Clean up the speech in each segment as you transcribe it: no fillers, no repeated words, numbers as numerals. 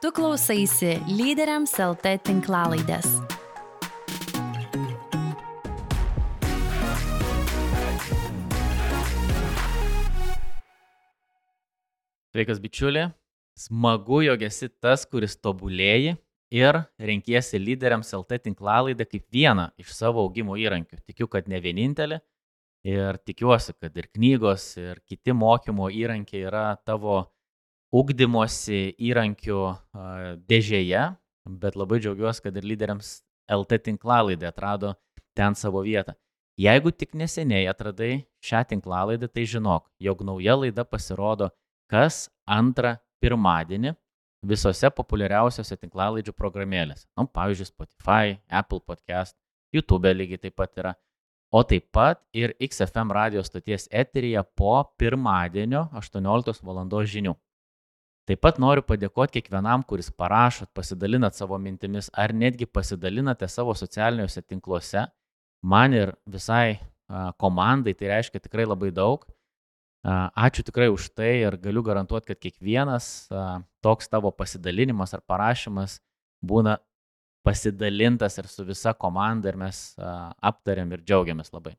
Tu klausaisi Lyderiams LT tinklalaidės. Sveikas bičiuli, smagu, jog esi tas, kuris tobulėji ir renkiesi Lyderiams LT tinklalaidę kaip vieną iš savo augimo įrankių. Tikiu, kad ne vienintelį ir tikiuosi, kad ir knygos, ir kiti mokymo įrankiai yra tavo ugdymosi įrankių dėžėje, bet labai džiaugiuosi, kad ir Lyderiams LT tinklalaidė atrado ten savo vietą. Jeigu tik neseniai atradai šią tinklalaidę, tai žinok, jog nauja laida pasirodo kas antrą pirmadienį visose populiariausiose tinklalaidžių programėlėse. Pavyzdžiui, Spotify, Apple Podcast, YouTube lygiai taip pat yra. O taip pat ir XFM radio stoties eteryje po pirmadienio 18 val. Žinių. Taip pat noriu padėkoti kiekvienam, kuris parašot, pasidalinat savo mintimis ar netgi pasidalinate savo socialiniuose tinkluose. Man ir visai komandai tai reiškia tikrai labai daug. Ačiū tikrai už tai ir galiu garantuoti, kad kiekvienas toks tavo pasidalinimas ar parašymas būna pasidalintas ir su visa komanda ir mes aptariam ir džiaugiamės labai.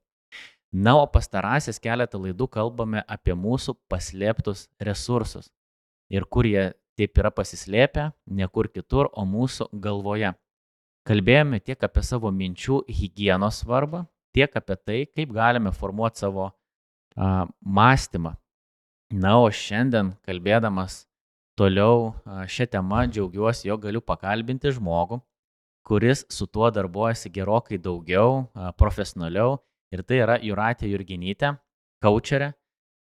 Na, o pastarąsias keletą laidų kalbame apie mūsų paslėptus resursus ir kur jie taip yra pasislėpę, ne kur kitur, o mūsų galvoje. Kalbėjome tiek apie savo minčių higienos svarbą, tiek apie tai, kaip galime formuoti savo mąstymą. Na, o šiandien kalbėdamas toliau šią temą džiaugiuosi, jog galiu pakalbinti žmogų, kuris su tuo darbuojasi gerokai daugiau, profesionaliau, ir tai yra Jūratė Jurginytė, kaučerė,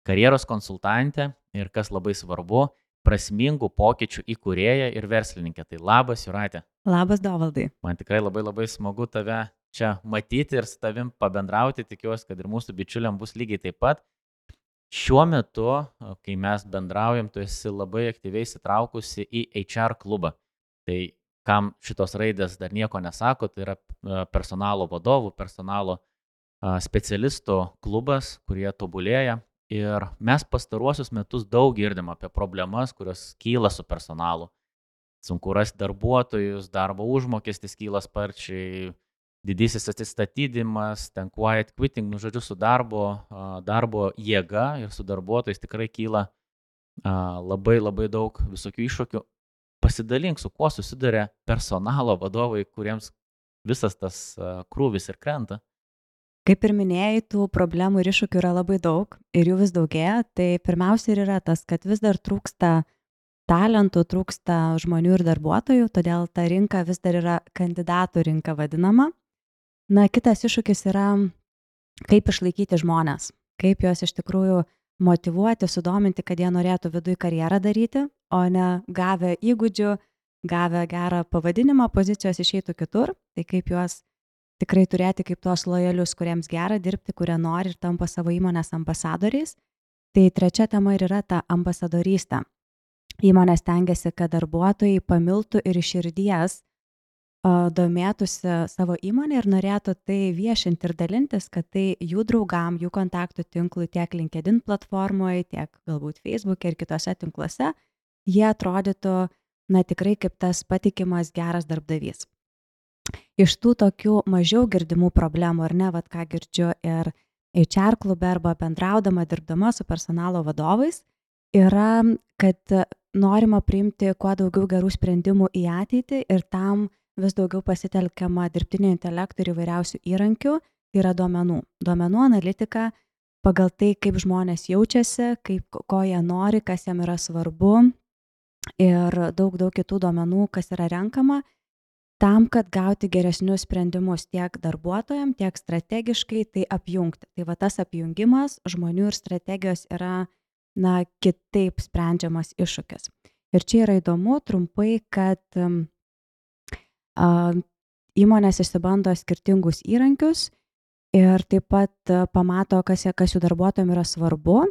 karjeros konsultantė ir, kas labai svarbu, prasmingų pokyčių įkūrėja ir verslininkė. Tai labas, Jūratė. Labas, Dovaldai. Man tikrai labai smagu tave čia matyti ir su tavim pabendrauti, tikiuosi, kad ir mūsų bičiuliam bus lygiai taip pat. Šiuo metu, kai mes bendraujam, tu esi labai aktyviai įsitraukusi į HR klubą. Tai kam šitos raidės dar nieko nesako, tai yra personalo vadovų, personalo specialistų klubas, kurie tobulėja. Ir mes pastaruosius metus daug girdim apie problemas, kurios kyla su personalu. Sunku rasti darbuotojus, darbo užmokestis kyla sparčiai, didysis atsistatydimas, ten quiet quitting, žodžiu, su darbo jėga ir su darbuotojais tikrai kyla labai daug visokių iššūkių. Pasidalink, su kuo susiduria personalo vadovai, kuriems visas tas krūvis ir krenta. Kaip ir minėjai, tų problemų ir iššūkių yra labai daug ir jų vis daugėja. Tai pirmiausia ir yra tas, kad vis dar trūksta talentų, trūksta žmonių ir darbuotojų, todėl ta rinka vis dar yra kandidatų rinka vadinama. Na, kitas iššūkis yra, kaip išlaikyti žmones, kaip juos iš tikrųjų motyvuoti, sudominti, kad jie norėtų viduj karjerą daryti, o ne gavę įgūdžių, gavę gerą pavadinimą pozicijos išeitų kitur. Tai kaip juos tikrai turėti kaip tuos lojalius, kuriems gera dirbti, kurie nori ir tampa savo įmonės ambasadoriais. Tai trečia tema ir yra ta ambasadorystė. Įmonės stengiasi, kad darbuotojai pamiltų ir iš širdies domėtųsi savo įmonę ir norėtų tai viešinti ir dalintis, kad tai jų draugam, jų kontaktų tinklui tiek LinkedIn platformoje, tiek galbūt Facebook ir kitose tinkluose, jie atrodytų tikrai kaip tas patikimas geras darbdavys. Iš tų tokių mažiau girdimų problemų, ar ne, ką girdžiu ir HR klube arba bendraudama, dirbdama su personalo vadovais, yra, kad norima priimti kuo daugiau gerų sprendimų į ateitį ir tam vis daugiau pasitelkiama dirbtinio intelekto ir įvairiausių įrankių, tai yra duomenų analitika pagal tai, kaip žmonės jaučiasi, ko jie nori, kas jam yra svarbu ir daug kitų duomenų, kas yra renkama, tam, kad gauti geresnius sprendimus tiek darbuotojams, tiek strategiškai tai apjungti. Tai tas apjungimas žmonių ir strategijos yra kitaip sprendžiamas iššūkis. Ir čia yra įdomu trumpai, kad įmonės išsibando skirtingus įrankius ir taip pat pamato, kas jų darbuotojams yra svarbu.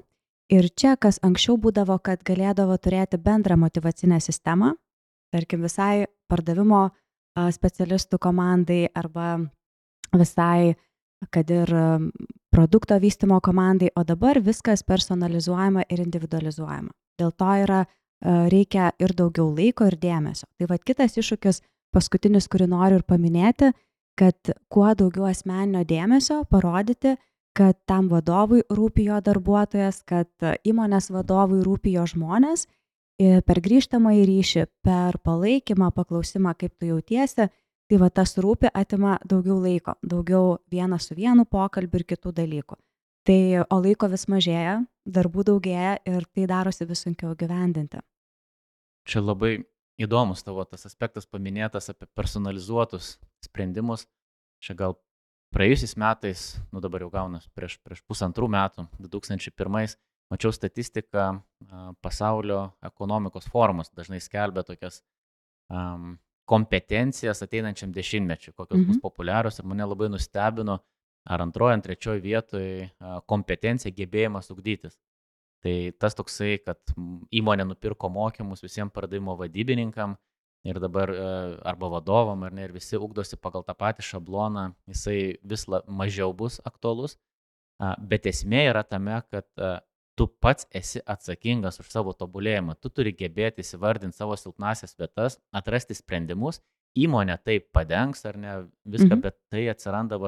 Ir čia, kas anksčiau būdavo, kad galėdavo turėti bendrą motyvacinę sistemą, tarkim visai pardavimo specialistų komandai arba visai, kad ir produkto vystymo komandai, o dabar viskas personalizuojama ir individualizuojama. Dėl to yra reikia ir daugiau laiko ir dėmesio. Tai vat kitas iššūkis, paskutinis, kurį noriu ir paminėti, kad kuo daugiau asmeninio dėmesio parodyti, kad tam vadovui rūpi jo darbuotojas, kad įmonės vadovui rūpi jo žmonės, per grįžtamąjį ryšį, per palaikymą, paklausimą, kaip tu jautiesi, tai va tas rūpi atima daugiau laiko, daugiau vienas su vienu pokalbiu ir kitų dalykų. Tai o laiko vis mažėja, darbų daugėja ir tai darosi vis sunkiau gyvendinti. Čia labai įdomus tavo tas aspektas paminėtas apie personalizuotus sprendimus. Čia gal praėjusiais metais, dabar jau gaunas prieš 1,5 metų, 2001, mačiau statistiką, pasaulio ekonomikos forumas dažnai skelbia tokias kompetencijas ateinančiam dešimtmečiui, kokios bus populiarios, ir mane labai nustebino, ar antroje, ar trečioje vietoje kompetencija, gebėjimas ugdytis. Tai tas toksai, kad įmonė nupirko mokymus visiems pardavimo vadybininkam ir dabar arba vadovam, ar ne, ir visi ugdosi pagal tą patį šabloną, jisai vis mažiau bus aktualus, bet esmė yra tame, kad tu pats esi atsakingas už savo tobulėjimą, tu turi gebėti įsivardinti savo silpnasias vietas, atrasti sprendimus, įmonė tai padengs ar ne viską, bet tai atsiranda,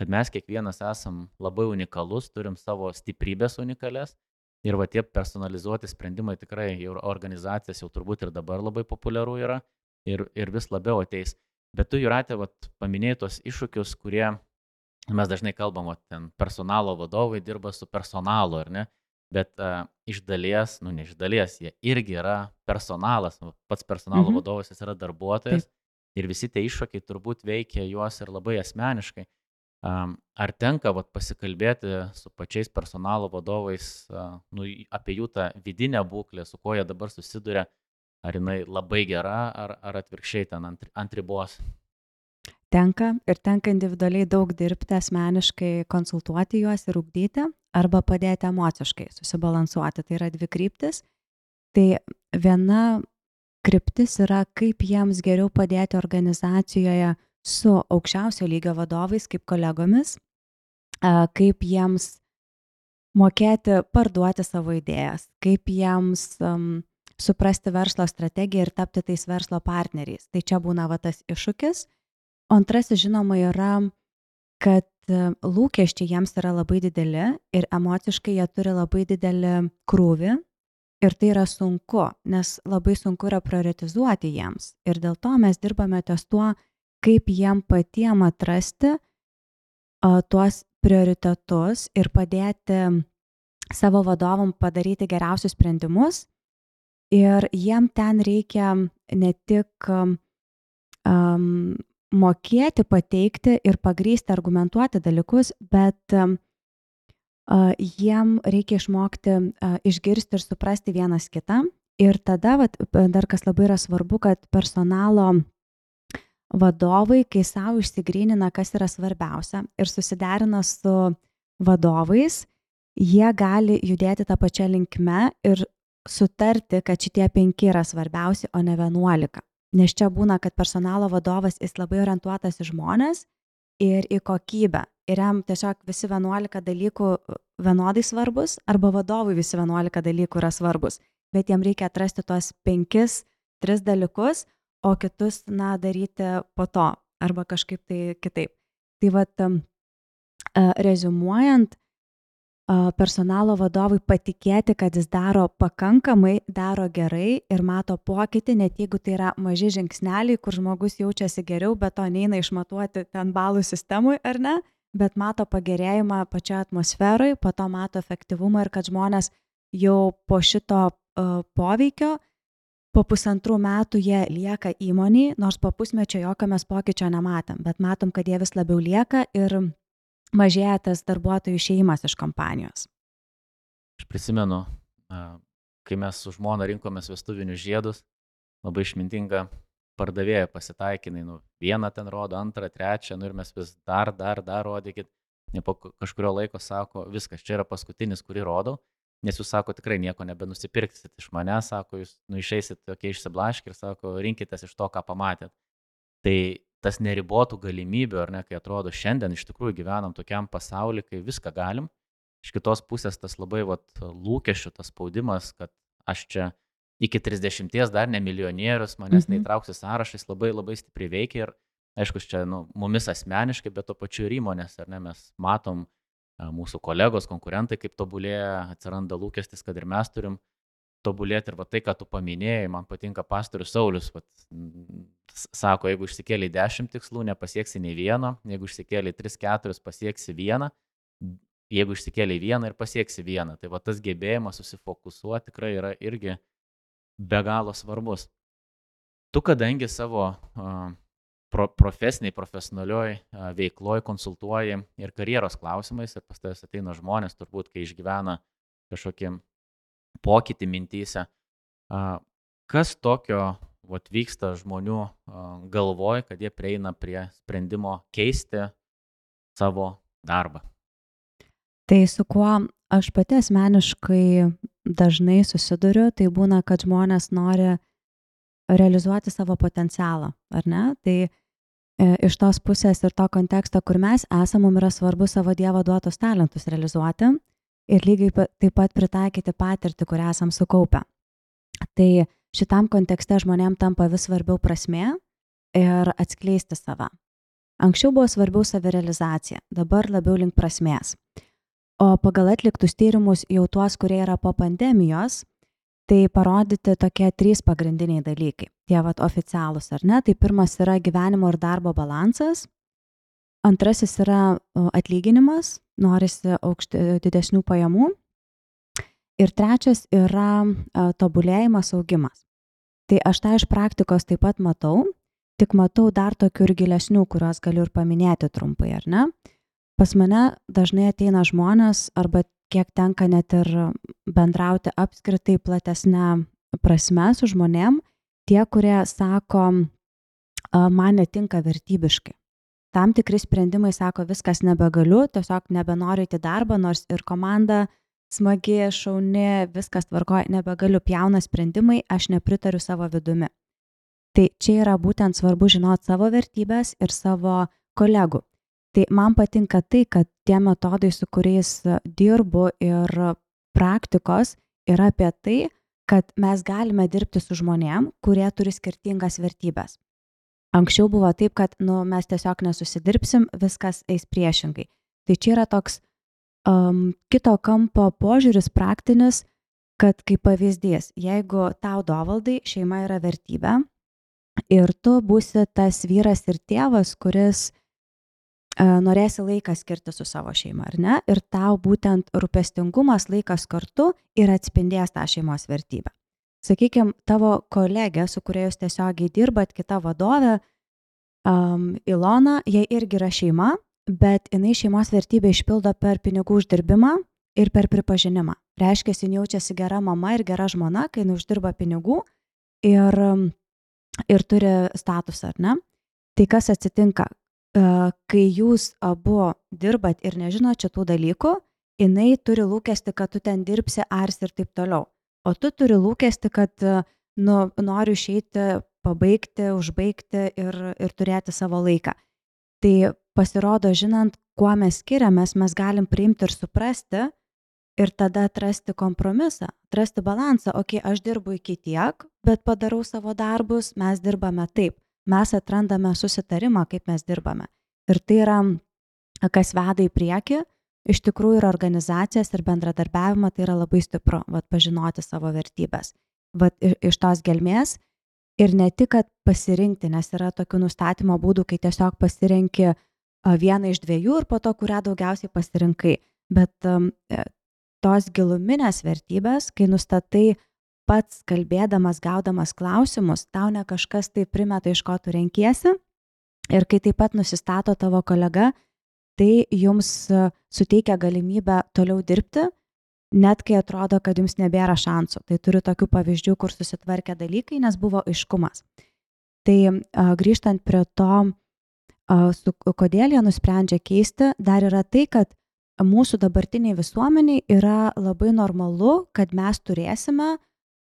kad mes kiekvienas esam labai unikalus, turim savo stiprybės unikalias. Ir tie personalizuoti sprendimai tikrai jau organizacijas jau turbūt ir dabar labai populiaru yra ir vis labiau ateis. Bet tu, Jūrate, paminėjai tos iššūkius, kurie mes dažnai kalbam, ten personalo vadovai dirba su personalu, ar ne? Bet iš dalies, ne iš dalies, jie irgi yra personalas, pats personalo vadovas jis yra darbuotojas. Taip. Ir visi tie iššūkiai turbūt veikia juos ir labai asmeniškai. Ar tenka pasikalbėti su pačiais personalo vadovais apie jų tą vidinę būklę, su kuo jie dabar susiduria, ar jinai labai gera, ar atvirkščiai ten ant ribos? Tenka individualiai daug dirbti, asmeniškai konsultuoti juos ir ugdyti, arba padėti emociškai susibalansuoti. Tai yra 2 kryptis. Tai viena kryptis yra, kaip jiems geriau padėti organizacijoje su aukščiausio lygio vadovais, kaip kolegomis, kaip jiems mokėti parduoti savo idėjas, kaip jiems suprasti verslo strategiją ir tapti tais verslo partneriais. Tai čia būna tas iššūkis. O antrasis, žinoma, yra, kad lūkesčiai jiems yra labai dideli ir emociškai jie turi labai didelį krūvį. Ir tai yra sunku, nes labai sunku yra prioritizuoti jiems. Ir dėl to mes dirbame ties tuo, kaip jiem patiem atrasti tuos prioritetus ir padėti savo vadovam padaryti geriausius sprendimus. Ir jiem ten reikia ne tik mokėti, pateikti ir pagrįsti, argumentuoti dalykus, bet jiem reikia išmokti išgirsti ir suprasti vienas kitą. Ir tada, dar kas labai yra svarbu, kad personalo vadovai, kai savo išsigrynina, kas yra svarbiausia ir susiderina su vadovais, jie gali judėti tą pačią linkme ir sutarti, kad šitie 5 yra svarbiausi, o ne 11. Nes čia būna, kad personalo vadovas jis labai orientuotas į žmonės ir į kokybę. Ir jam tiesiog visi 11 dalykų vienodai svarbus, arba vadovui visi 11 dalykų yra svarbus. Bet jam reikia atrasti tuos 5-3 dalykus, o kitus, daryti po to, arba kažkaip tai kitaip. Tai reziumuojant, personalo vadovui patikėti, kad jis daro pakankamai, daro gerai ir mato pokytį, net jeigu tai yra maži žingsneliai, kur žmogus jaučiasi geriau, bet to neina išmatuoti ten balų sistemui, ar ne, bet mato pagerėjimą pačioje atmosferoje, po to mato efektyvumą ir kad žmonės jau po šito poveikio po 1,5 metų jie lieka įmonėj, nors po pusmečio jokio mes pokyčio nematom, bet matom, kad jie vis labiau lieka ir mažėja tas darbuotojų išėjimas iš kompanijos. Aš prisimenu, kai mes su žmona rinkomės vestuvinius žiedus, labai išmintinga pardavėja pasitaikinai, vieną ten rodo, antrą, trečią, ir mes vis dar rodykit, po kažkurio laiko sako, viskas, čia yra paskutinis, kurį rodau. Nes jūs sako, tikrai nieko nebenusipirksit iš mane, sako, jūs išeisit tokie išsiblaškę ir sako, rinkitės iš to, ką pamatėt. Tai tas neribotų galimybių, ar ne, kai atrodo šiandien iš tikrųjų gyvenam tokiam pasauliu, kai viską galim. Iš kitos pusės tas labai lūkesčių, tas spaudimas, kad aš čia iki 30 dar ne milijonierius, manęs neįtrauks į sąrašą, jis labai labai stipriai veikia ir aišku, čia mumis asmeniškai, bet to pačiu ir įmonės, ar ne, mes matom mūsų kolegos, konkurentai, kaip tobulėja, atsiranda lūkestis, kad ir mes turim tobulėti ir va tai, ką tu paminėjai, man patinka pastorius Saulius, sako, jeigu išsikėlė 10 tikslų, nepasieksi nei vieno, jeigu išsikėlė 3-4, pasieksi vieną, jeigu išsikėlė vieną ir pasieksi vieną. Tai va tas gebėjimas susifokusuoti tikrai yra irgi be galo svarbus. Tu kadangi savo profesionalioj veikloj konsultuoji ir karjeros klausimais ir pas tavęs ateina žmonės, turbūt, kai išgyvena kažkokį pokytį mintyse. Kas tokio vyksta žmonių galvoj, kad jie prieina prie sprendimo keisti savo darbą? Tai su kuo aš pati asmeniškai dažnai susiduriu, tai būna, kad žmonės nori realizuoti savo potencialą, ar ne? Tai iš tos pusės ir to konteksto, kur mes esame, mums yra svarbu savo Dievo duotus talentus realizuoti ir lygiai taip pat pritaikyti patirtį, kurią esam sukaupę. Tai šitam kontekste žmonėm tampa vis svarbiau prasmė ir atskleisti save. Anksčiau buvo svarbiau savirealizacija, dabar labiau link prasmės. O pagal atliktus tyrimus jau tuos, kurie yra po pandemijos, tai parodyti tokie 3 pagrindiniai dalykai. Tie oficialūs, ar ne? Tai pirmas yra gyvenimo ir darbo balansas. Antrasis yra atlyginimas, norisi didesnių pajamų. Ir trečias yra tobulėjimas, augimas. Tai aš tą iš praktikos taip pat matau, tik matau dar tokių ir gilesnių, kuriuos galiu ir paminėti trumpai, ar ne? Pas mane dažnai ateina žmonės, arba kiek tenka net ir bendrauti apskritai platesnę prasme su žmonėm, tie, kurie sako, man netinka vertybiškai. Tam tikri sprendimai sako, viskas nebegaliu, tiesiog nebenoriu į darbą, nors ir komanda smagi, šauni, viskas tvarkoja, nebegaliu, pjauna sprendimai, aš nepritariu savo vidumi. Tai čia yra būtent svarbu žinoti savo vertybės ir savo kolegų. Tai man patinka tai, kad tie metodai, su kuriais dirbu ir praktikos, yra apie tai, kad mes galime dirbti su žmonėm, kurie turi skirtingas vertybės. Anksčiau buvo taip, kad mes tiesiog nesusidirbsim, viskas eis priešingai. Tai čia yra toks kito kampo požiūris praktinis, kad kaip pavyzdys, jeigu tau dovaldai, šeima yra vertybė ir tu būsi tas vyras ir tėvas, kuris norėsi laiką skirti su savo šeima, ar ne? Ir tau būtent rūpestingumas, laikas kartu ir atspindės tą šeimos vertybę. Sakykime, tavo kolegė, su kuria jūs tiesiogiai dirbat, kita vadovė, Ilona, jai irgi yra šeima, bet jinai šeimos vertybę išpildo per pinigų uždirbimą ir per pripažinimą. Reiškia, jin jaučiasi gera mama ir gera žmona, kai jinai uždirba pinigų ir turi statusą, ar ne? Tai kas atsitinka? Kai jūs abu dirbat ir nežinot šitų dalykų, jinai turi lūkesti, kad tu ten dirbsi, arsi ir taip toliau. O tu turi lūkesti, kad noriu išeiti, pabaigti, užbaigti ir turėti savo laiką. Tai pasirodo, žinant, kuo mes skiriamės, mes galim priimti ir suprasti ir tada atrasti kompromisą, atrasti balansą. Ok, aš dirbu iki tiek, bet padarau savo darbus, mes dirbame taip. Mes atrandame susitarimą, kaip mes dirbame. Ir tai yra, kas veda į priekį. Iš tikrųjų ir organizacijas ir bendradarbiavimą tai yra labai stipru, pažinoti savo vertybės. Iš tos gelmės ir ne tik, kad pasirinkti, nes yra tokių nustatymo būdų, kai tiesiog pasirenki vieną iš 2 ir po to, kurią daugiausiai pasirinkai. Bet tos giluminės vertybės, kai nustatai pats kalbėdamas, gaudamas klausimus, tau ne kažkas tai primeta, iš ko tu renkiesi. Ir kai taip pat nusistato tavo kolega, tai jums suteikia galimybę toliau dirbti, net kai atrodo, kad jums nebėra šansų. Tai turiu tokių pavyzdžių, kur susitvarkė dalykai, nes buvo aiškumas. Tai grįžtant prie to, kodėl jie nusprendžia keisti, dar yra tai, kad mūsų dabartiniai visuomeniai yra labai normalu, kad mes turėsime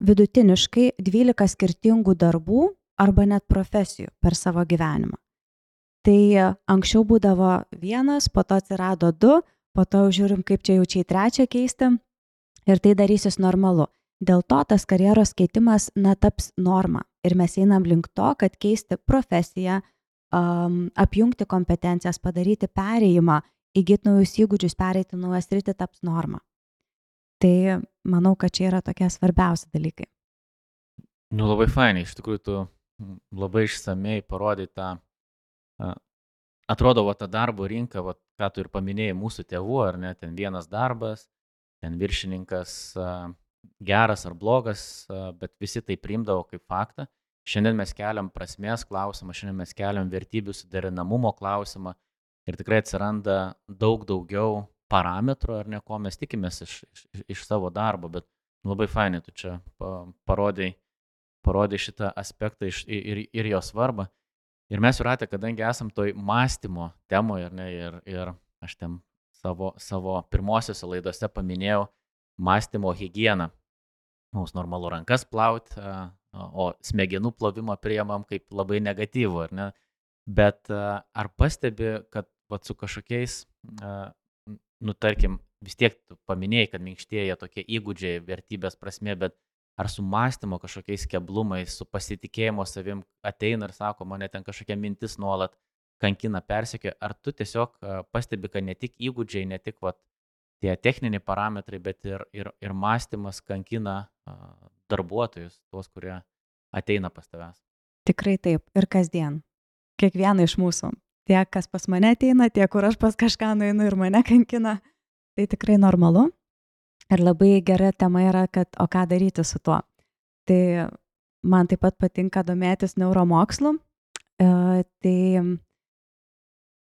vidutiniškai 12 skirtingų darbų arba net profesijų per savo gyvenimą. Tai anksčiau būdavo 1, po to atsirado 2, po to žiūrim, kaip čia jau čia į 3 keisti ir tai darysis normalu. Dėl to tas karjeros keitimas taps norma. Ir mes einam link to, kad keisti profesiją, apjungti kompetencijas, padaryti perėjimą, įgyti naujus įgūdžius, pereiti naują sritį taps norma. Tai manau, kad čia yra tokie svarbiausi dalykai. Nu, labai fainai, iš tikrųjų, tu labai išsamei parodai tą, atrodo, ta darbo rinka, ką tu ir paminėjai mūsų tėvų, ar ne, ten vienas darbas, ten viršininkas geras ar blogas, bet visi tai priimdavo kaip faktą. Šiandien mes keliam prasmės klausimą, šiandien mes keliam vertybių suderinamumo klausimą ir tikrai atsiranda daug daugiau parametrų, ar ne, ko mes tikimės iš savo darbo, bet labai fainai tu čia parodai šitą aspektą ir jo svarbą. Ir mes Jūrate, kadangi esam toj mąstymo temoje, ar ne, ir aš ten savo pirmosiose laidose paminėjau mąstymo higieną. Mums normalu rankas plauti, o smegenų plovimą priimam kaip labai negatyvų, ar ne? Bet ar pastebi, kad su kažkokiais, tarkim, vis tiek tu paminėjai, kad minkštėja tokie įgūdžiai, vertybės prasmė, bet ar su mąstymo kažkokiais keblumais, su pasitikėjimo savim ateina ir sako, mane ten kažkokia mintis nuolat kankina, persekioja, ar tu tiesiog pastebi, kad ne tik įgūdžiai, ne tik tie techniniai parametrai, bet ir mąstymas kankina darbuotojus, tuos, kurie ateina pas tavęs? Tikrai taip, ir kasdien. Kiekvieną iš mūsų. Tiek, kas pas mane ateina, tiek, kur aš pas kažką nueinu ir mane kankina. Tai tikrai normalu. Ir labai gera tema yra, kad o ką daryti su tuo. Tai man taip pat patinka domėtis neuromokslu. Tai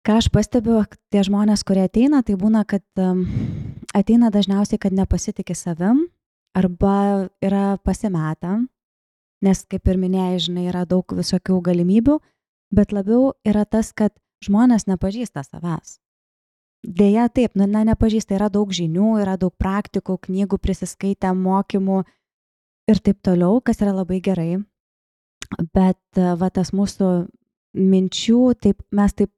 ką aš pastebiu, tie žmonės, kurie ateina, tai būna, kad ateina dažniausiai, kad nepasitikė savim arba yra pasimetę, nes kaip ir minėjai, žinai, yra daug visokių galimybių, bet labiau yra tas, kad žmonės nepažįsta savęs. Deja, taip, nepažįsta, yra daug žinių, yra daug praktikų, knygų prisiskaitę, mokymų ir taip toliau, kas yra labai gerai. Bet tas mūsų minčių, mes taip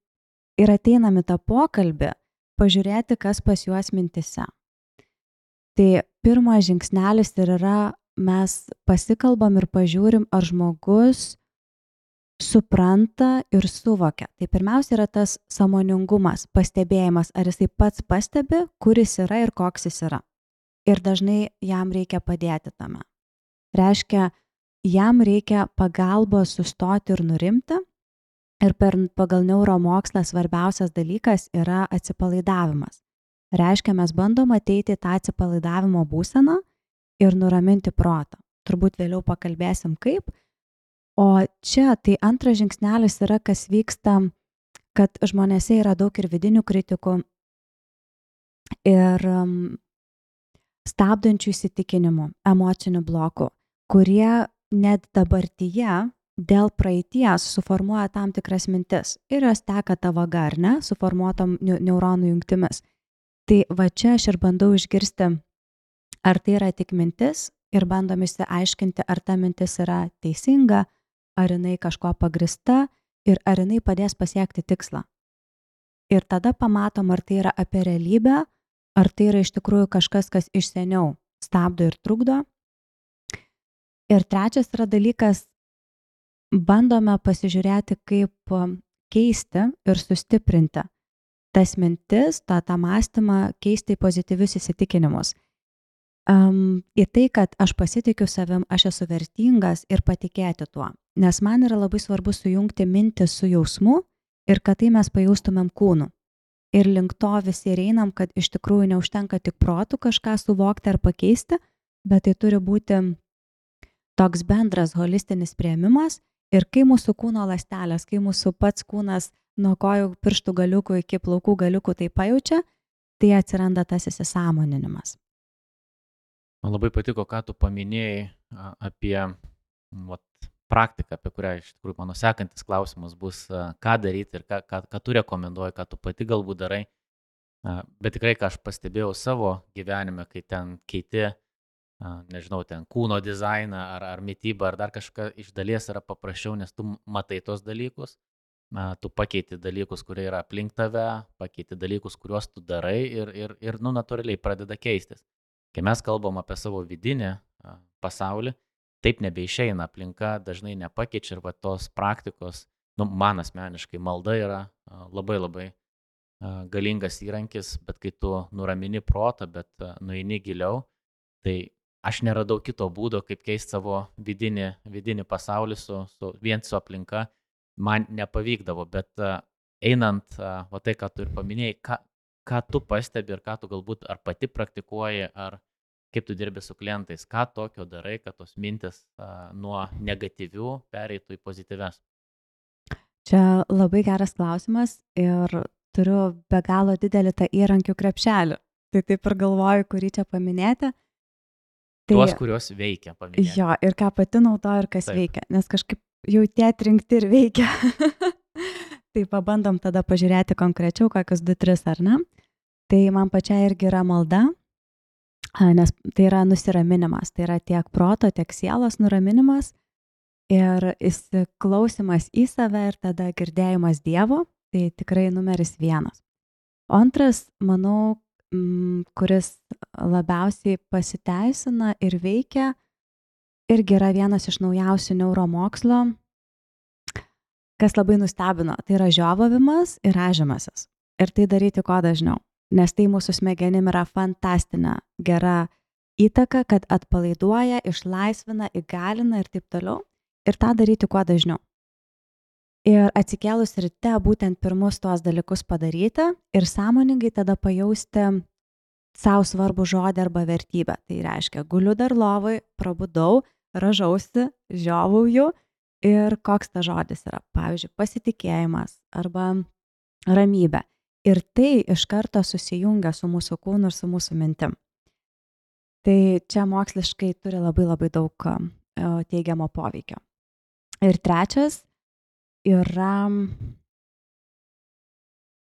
ir ateinam į tą pokalbį, pažiūrėti, kas pas juos mintise. Tai pirmas žingsnelis ir yra, mes pasikalbam ir pažiūrim, ar žmogus supranta ir suvokia. Tai pirmiausia yra tas sąmoningumas, pastebėjimas, ar jisai pats pastebi, kur jis yra ir koks jis yra. Ir dažnai jam reikia padėti tame. Reiškia, jam reikia pagalbos sustoti ir nurimti. Ir pagal neuromokslą svarbiausias dalykas yra atsipalaidavimas. Reiškia, mes bandom ateiti tą atsipalaidavimo būseną ir nuraminti protą. Turbūt vėliau pakalbėsim kaip. O čia tai antras žingsnelis yra, kas vyksta, kad žmonėse yra daug ir vidinių kritikų ir stabdančių įsitikinimų, emocinių blokų, kurie net dabartyje dėl praeities suformuoja tam tikras mintis ir jos teka ta vaga, ar ne, suformuotom neuronų jungtimis. Tai va čia aš ir bandau išgirsti, ar tai yra tik mintis ir bandom išsiaiškinti, ar ta mintis yra teisinga, ar jinai kažko pagrįsta ir ar jinai padės pasiekti tikslą. Ir tada pamatom, ar tai yra apie realybę, ar tai yra iš tikrųjų kažkas, kas iš seniau stabdo ir trukdo. Ir trečias yra dalykas, bandome pasižiūrėti, kaip keisti ir sustiprinti tas mintis, tą mąstymą, keisti į pozityvius įsitikinimus. Į tai, kad aš pasitikiu savim, aš esu vertingas ir patikėti tuo. Nes man yra labai svarbu sujungti mintį su jausmu ir kad tai mes pajaustumėm kūnu. Ir link to visi ir einam, kad iš tikrųjų neužtenka tik protų kažką suvokti ar pakeisti, bet tai turi būti toks bendras holistinis priėmimas. Ir kai mūsų kūno ląstelės, kai mūsų pats kūnas nuo kojų pirštų galiukų iki plaukų galiukų tai pajaučia, tai atsiranda tas įsisąmoninimas. Man labai patiko, ką tu paminėjai apie praktiką, apie kurią iš tikrųjų mano sekantis klausimas bus, ką daryti ir ką tu rekomenduoji, ką tu pati galbūt darai. Bet tikrai, ką aš pastebėjau savo gyvenime, kai ten keiti, nežinau, ten kūno dizainą ar mitybą ar dar kažką, iš dalies yra paprasčiau, nes tu matai tos dalykus, tu pakeiti dalykus, kurie yra aplink tave, pakeiti dalykus, kuriuos tu darai ir natūraliai pradeda keistis. Kai mes kalbam apie savo vidinį pasaulį, taip nebeišeina, aplinka dažnai nepakeičia ir va tos praktikos, man asmeniškai malda yra labai labai galingas įrankis, bet kai tu nuramini protą, bet nueini giliau, tai aš neradau kito būdo, kaip keisti savo vidinį pasaulį vien su aplinka, man nepavykdavo, bet einant, va tai, ką tu ir paminėjai, ką tu pastebi ir ką tu galbūt ar pati praktikuoji, ar kaip tu dirbi su klientais, ką tokio darai, kad tos mintis nuo negatyvių pereitų į pozityves. Čia labai geras klausimas ir turiu be galo didelį tą įrankių krepšelį. Tai taip ir galvoju, kurį čia paminėti. Tai, tuos, kurios veikia, paminėti. Jo, ir ką pati naudoju ir kas Taip. veikia, nes kažkaip jau tie atrinkti ir veikia. Tai pabandom tada pažiūrėti konkrečiau, kokius 2-3 ar ne. Tai man pačiai irgi yra malda, nes tai yra nusiraminimas, tai yra tiek proto, tiek sielos nuraminimas ir įsiklausimas į save ir tada girdėjimas Dievo, tai tikrai numeris 1. O antras, manau, kuris labiausiai pasiteisina ir veikia, irgi yra vienas iš naujausių neuromokslo, kas labai nustebino, tai yra žiovavimas ir rąžymasis. Ir tai daryti kuo dažniau, nes tai mūsų smegenim yra fantastinė, gera įtaka, kad atpalaiduoja, išlaisvina, įgalina ir taip toliau. Ir tą daryti kuo dažniau. Ir atsikėlus ryte būtent pirmus tuos dalykus padaryti ir sąmoningai tada pajausti savo svarbų žodį arba vertybę. Tai reiškia, guliu dar lovai, prabudau, ražausi, žiovauju ir koks ta žodis yra. Pavyzdžiui, pasitikėjimas arba ramybė. Ir tai iš karto susijungia su mūsų kūnu ir su mūsų mintim. Tai čia moksliškai turi labai labai daug teigiamo poveikio. Ir trečias yra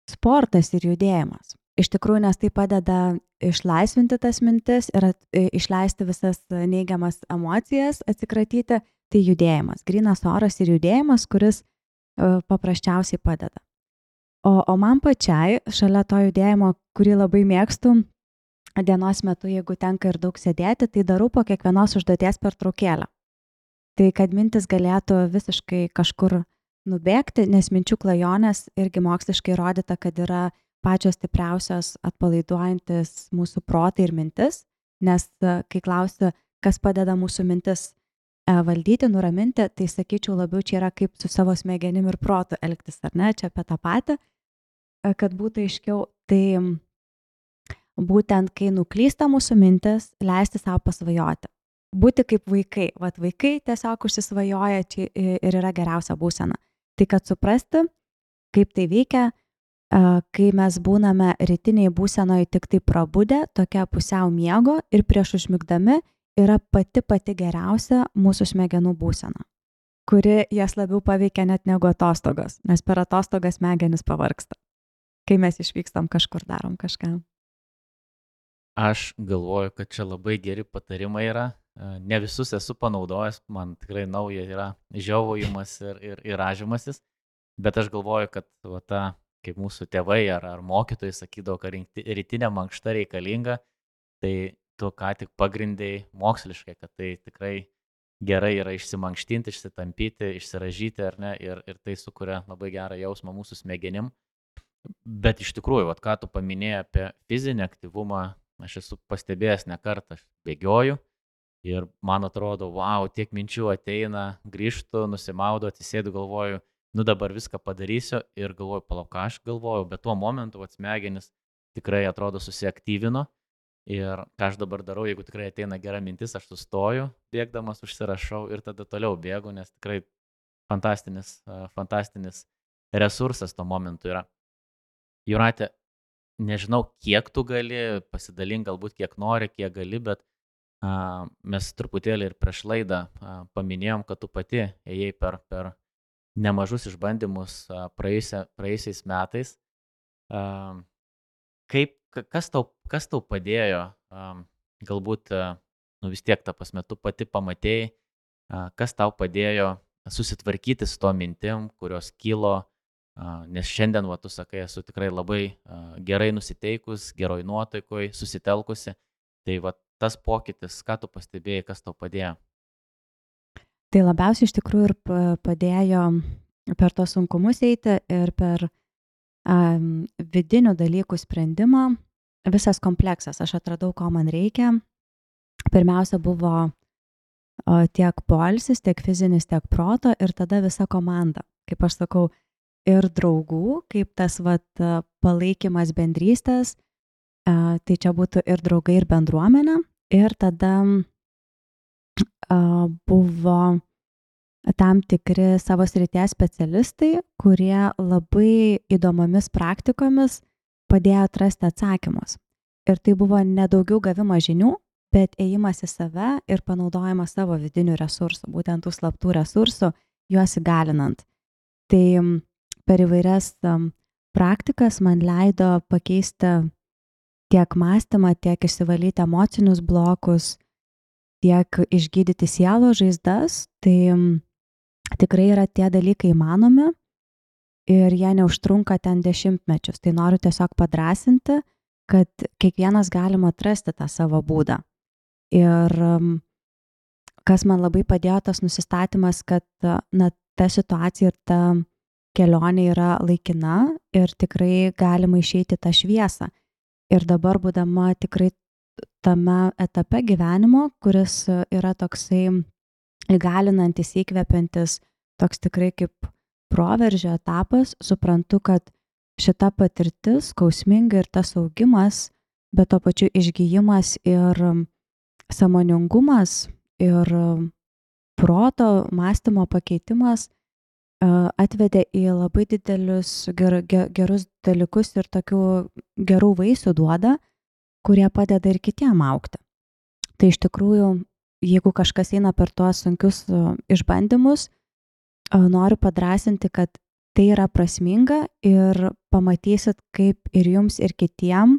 sportas ir judėjimas. Iš tikrųjų, nes tai padeda išlaisvinti tas mintis ir išleisti visas neigiamas emocijas, atsikratyti, tai judėjimas. Grynas oras ir judėjimas, kuris paprasčiausiai padeda. O man pačiai, šalia to judėjimo, kurį labai mėgstu, dienos metu, jeigu tenka ir daug sėdėti, tai darau po kiekvienos užduoties pertraukėlę. Tai kad mintis galėtų visiškai kažkur nubėgti, nes minčių klajonės irgi moksliškai įrodyta, kad yra pačios stipriausios atpalaiduojantis mūsų protą ir mintis, nes kai klausi, kas padeda mūsų mintis valdyti, nuraminti, tai sakyčiau labiau čia yra kaip su savo smegenim ir protu elgtis, ar ne, čia apie tą patį, kad būtų aiškiau, tai būtent kai nuklysta mūsų mintis, leisti savo pasvajoti. Būti kaip vaikai. Vat vaikai tiesiog užsisvajoja čia ir yra geriausia būsena. Tai kad suprasti, kaip tai veikia, kai mes būname rytiniai būsenoje tik tai prabudę, tokia pusiau miego ir prieš užmigdami yra pati geriausia mūsų smegenų būsena, kuri jas labiau paveikia net negu atostogos, nes per atostogas smegenis pavargsta, kai mes išvykstam kažkur, darom kažką. Aš galvoju, kad čia labai geri patarimai yra. Ne visus esu panaudojęs, man tikrai nauja yra žiovojimas ir rąžymasis, bet aš galvoju, kad va, ta, kaip mūsų tėvai ar mokytojai sakydavo, kad rytinė mankšta reikalinga, tai tu ką tik pagrindėjai moksliškai, kad tai tikrai gerai yra išsimankštinti, išsitampyti, išsiražyti ar ne, ir tai sukuria labai gerą jausmą mūsų smegenim. Bet iš tikrųjų, vat, ką tu paminėjai apie fizinį aktyvumą, aš esu pastebėjęs ne kartą, aš bėgioju ir man atrodo, wow, tiek minčių ateina, grįžtu, nusimaudu, atsisėdu, galvoju, nu dabar viską padarysiu ir galvoju, palauk, ką aš galvoju, bet tuo momentu smegenis tikrai atrodo susiaktyvino ir ką aš dabar darau, jeigu tikrai ateina gera mintis, aš sustoju, bėgdamas užsirašau ir tada toliau bėgu, nes tikrai fantastinis resursas tuo momentu yra. Jūrate, nežinau, kiek tu gali, pasidalink galbūt kiek nori, kiek gali, bet mes truputėlį ir prieš laidą paminėjom, kad tu pati ėjai per nemažus išbandymus praėjusiais metais. Kas tau padėjo, galbūt vis tiek ta prasme, tu pati pamatėjai, kas tau padėjo susitvarkyti su to mintim, kurios kilo, nes šiandien, tu sakai, esu tikrai labai gerai nusiteikus, geroj nuotaikoj, susitelkusi. Tai tas pokytis, ką tu pastebėjai, kas tau padėjo? Tai labiausiai iš tikrųjų ir padėjo per tos sunkumus eiti ir per vidinių dalykų sprendimą visas kompleksas. Aš atradau, ko man reikia. Pirmiausia buvo tiek poilsis, tiek fizinis, tiek proto ir tada visa komanda. Kaip aš sakau, ir draugų, kaip tas palaikymas bendrystės, tai čia būtų ir draugai, ir bendruomenė. Ir tada buvo tam tikri savo srities specialistai, kurie labai įdomomis praktikomis padėjo atrasti atsakymus. Ir tai buvo nedaugiau gavimo žinių, bet ėjimas į save ir panaudojimas savo vidinių resursų, būtent tų slaptų resursų, juos įgalinant. Tai per įvairias praktikas man leido pakeisti tiek mąstymą, tiek išsivalyti emocinius blokus, tiek išgydyti sielos žaizdas. Tai tikrai yra tie dalykai įmanomi ir jie neužtrunka ten dešimtmečius. Tai noriu tiesiog padrąsinti, kad kiekvienas galima atrasti tą savo būdą. Ir kas man labai padėjo, tas nusistatymas, kad ta situacija ir ta kelionė yra laikina ir tikrai galima išeiti tą šviesą. Ir dabar būdama tikrai tame etape gyvenimo, kuris yra toksai įgalinantis, įkvepiantis, toks tikrai kaip proveržio etapas, suprantu, kad šita patirtis, skausminga ir tas augimas, bet to pačiu išgijimas ir sąmoningumas ir proto, mąstymo pakeitimas atvedė į labai didelius gerus dalykus ir tokių gerų vaisių duoda, kurie padeda ir kitiem augti. Tai iš tikrųjų, jeigu kažkas eina per tuos sunkius išbandymus, noriu padrąsinti, kad tai yra prasminga ir pamatysit, kaip ir jums, ir kitiem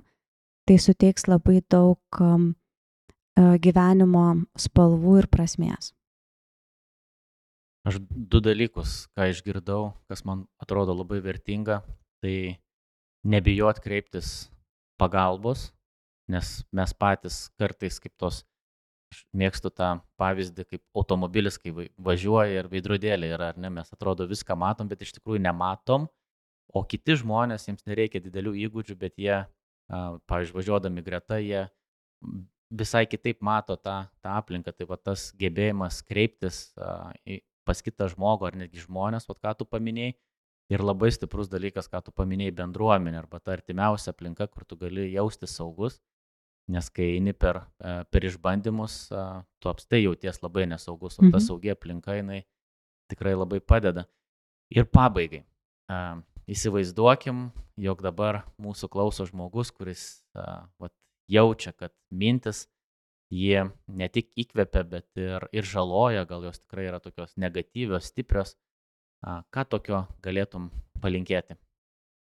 tai suteiks labai daug gyvenimo spalvų ir prasmės. Aš 2 dalykus, ką išgirdau, kas man atrodo labai vertinga, tai nebijot kreiptis pagalbos, nes mes patys kartais kaip tos, aš mėgstu tą pavyzdį, kaip automobilis, kai važiuoja ir veidrodėlė yra, ar ne, mes atrodo viską matom, bet iš tikrųjų nematom, o kiti žmonės, jiems nereikia didelių įgūdžių, bet jie, pavyzdžiui, važiuodami greta, jie visai kitaip mato tą aplinką, tai va tas gebėjimas kreiptis pas kitą žmogų ar netgi žmonės, ką tu paminėjai, ir labai stiprus dalykas, ką tu paminėjai, bendruomenė arba ta artimiausia aplinka, kur tu gali jaustis saugus, nes kai eini per išbandymus, tu apstai jauties labai nesaugus, o ta saugi aplinka, jinai tikrai labai padeda. Ir pabaigai, įsivaizduokim, jog dabar mūsų klauso žmogus, kuris jaučia, kad mintis jie ne tik įkvepia, bet ir žaloja, gal jos tikrai yra tokios negatyvios, stiprios. Ką tokio galėtum palinkėti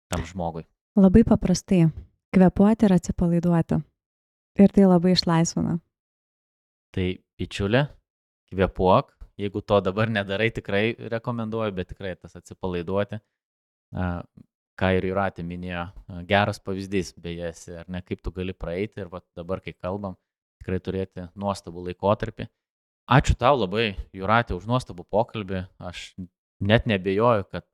tam žmogui? Labai paprastai. Kvėpuoti ir atsipalaiduoti. Ir tai labai išlaisvina. Tai, bičiulė, kvėpuok. Jeigu to dabar nedarai, tikrai rekomenduoju, bet tikrai tas atsipalaiduoti. Ką ir Jūratė minėjo, geras pavyzdys, beje, ar ne, kaip tu gali praeiti ir dabar, kai kalbam, tikrai turėti nuostabų laikotarpį. Ačiū tau labai, Jūratė, už nuostabų pokalbį. Aš net nebejoju, kad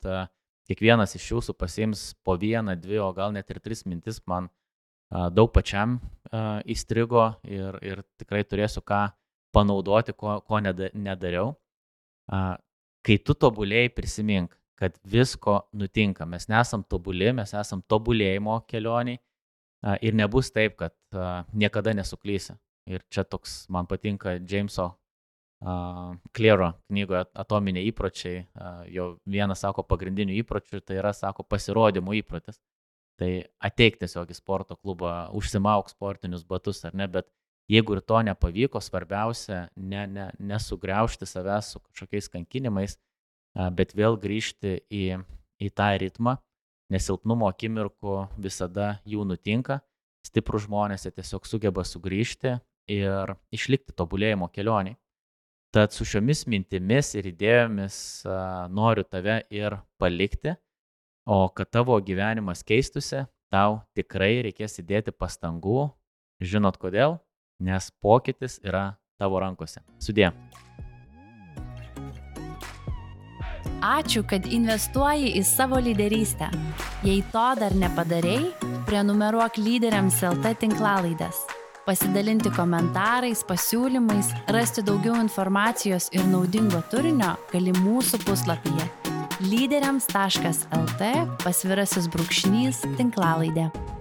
kiekvienas iš jūsų pasiims po 1, 2, o gal net ir 3 mintis. Man daug pačiam įstrigo ir tikrai turėsiu ką panaudoti, ko nedariau. Kai tu tobulėjai, prisimink, kad visko nutinka. Mes nesam tobuli, mes esam tobulėjimo kelioniai ir nebus taip, kad niekada nesuklysi. Ir čia toks, man patinka Jameso Clearo knygoje Atominiai įpročiai. Jo vienas sako pagrindinių įpročių, tai yra, sako, pasirodymų įprotis. Tai ateik tiesiog į sporto klubą, užsimauk sportinius batus, ar ne, bet jeigu ir to nepavyko, svarbiausia nesugriaužti savęs su kažkokiais kankinimais, bet vėl grįžti į tą ritmą, nes silpnumo akimirkų visada jų nutinka. Stiprus žmonės tiesiog sugeba sugrįžti ir išlikti tobulėjimo kelionį. Tad su šiomis mintimis ir idėjomis noriu tave ir palikti, o kad tavo gyvenimas keistusi, tau tikrai reikės įdėti pastangų. Žinot kodėl? nes pokytis yra tavo rankose. Sudie. Ačiū, kad investuoji į savo lyderystę. Jei to dar nepadarei, prenumeruok Lyderiams LT tinklalaidės. Pasidalinti komentarais, pasiūlymais, rasti daugiau informacijos ir naudingo turinio gali mūsų puslapyje lyderiams.lt /tinklalaidė.